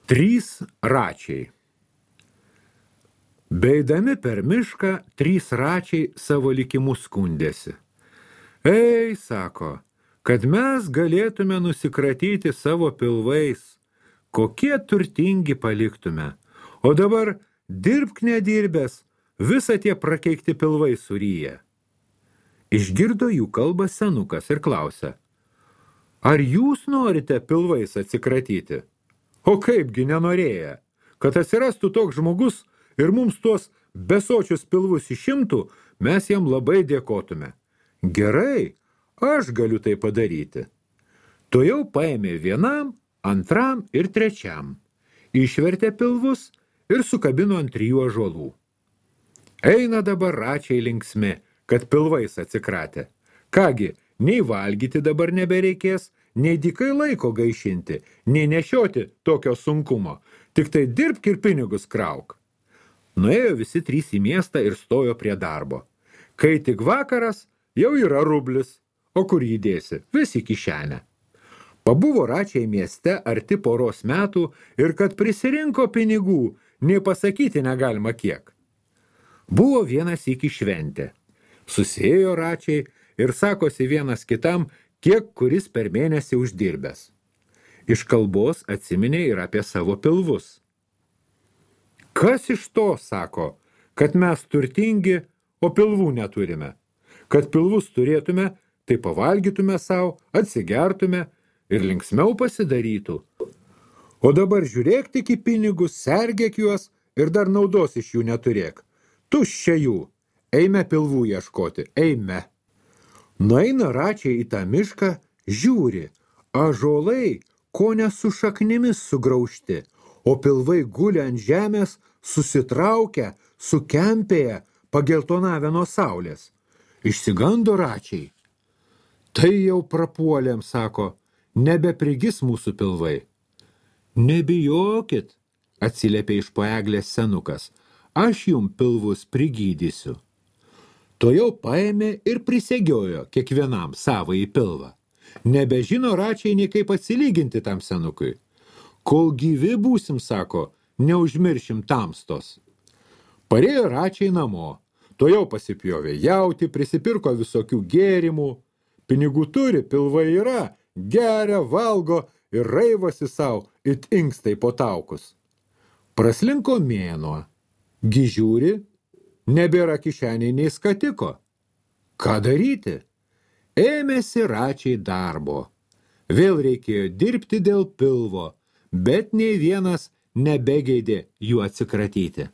Trys račiai. Beidami per mišką, trys račiai savo likimu skundėsi. Ei, sako, kad mes galėtume nusikratyti savo pilvais, kokie turtingi paliktume, o dabar dirbk nedirbęs, visą tie prakeikti pilvai suryja. Išgirdo jų kalbą senukas ir klausia, ar jūs norite pilvais atsikratyti? O kaipgi nenorėję, kad atsirastų toks žmogus ir mums tuos besočius pilvus išimtų, mes jam labai dėkotume. Gerai, aš galiu tai padaryti. Tuojau paėmė vienam, antram ir trečiam. Išvertė pilvus ir sukabino ant 3 ąžuolų. Eina dabar račiai linksmi, kad pilvais atsikratė. Kągi, nei valgyti dabar nebereikės, nei dykai laiko gaišinti, nei nešioti tokio sunkumo, tik tai dirbk ir pinigus krauk. Nuėjo visi 3 į miestą ir stojo prie darbo. Kai tik vakaras, jau yra rublis, o kur jį dėsi, vis į kišenę. Pabuvo račiai mieste arti poros metų ir kad prisirinko pinigų, nei pasakyti negalima kiek. Buvo vienas iki šventė. Susėjo račiai ir sakosi vienas kitam, kiek kuris per mėnesį uždirbęs. Iš kalbos atsiminė ir apie savo pilvus. Kas iš to, sako, kad mes turtingi, o pilvų neturime? Kad pilvus turėtume, tai pavalgytume savo, atsigertume ir linksmiau pasidarytų. O dabar žiūrėk tik į pinigus, sergėk juos ir dar naudos iš jų neturėk. Tuščia jų. Eime pilvų ieškoti, eime. Nueina račiai į tą mišką, žiūri, ąžuolai kone su šaknimis sugraužti, o pilvai guli ant žemės, susitraukę, sukempėję, pageltonavę nuo saulės. Išsigando račiai. Tai jau prapuolėm, sako, nebeprigis mūsų pilvai. Nebijokit, atsiliepė iš po eglės senukas, aš jum pilvus prigydysiu. Tuojau paėmė ir prisegiojo kiekvienam savąjį pilvą. Nebežino račiai nei kaip atsilyginti tam senukui. Kol gyvi būsim, sako, neužmiršim tamstos. Parėjo račiai namo. Tuojau pasipjovė jautį, prisipirko visokių gėrimų. Pinigų turi, pilvai yra, geria, valgo ir raivosi savo, it inkstai po taukus. Praslinko mėnuo. Gižiūri, nebėra kišeniai nei skatiko. Ką daryti? Ėmėsi račiai darbo. Vėl reikėjo dirbti dėl pilvo, bet nei vienas nebegeidė jų atsikratyti.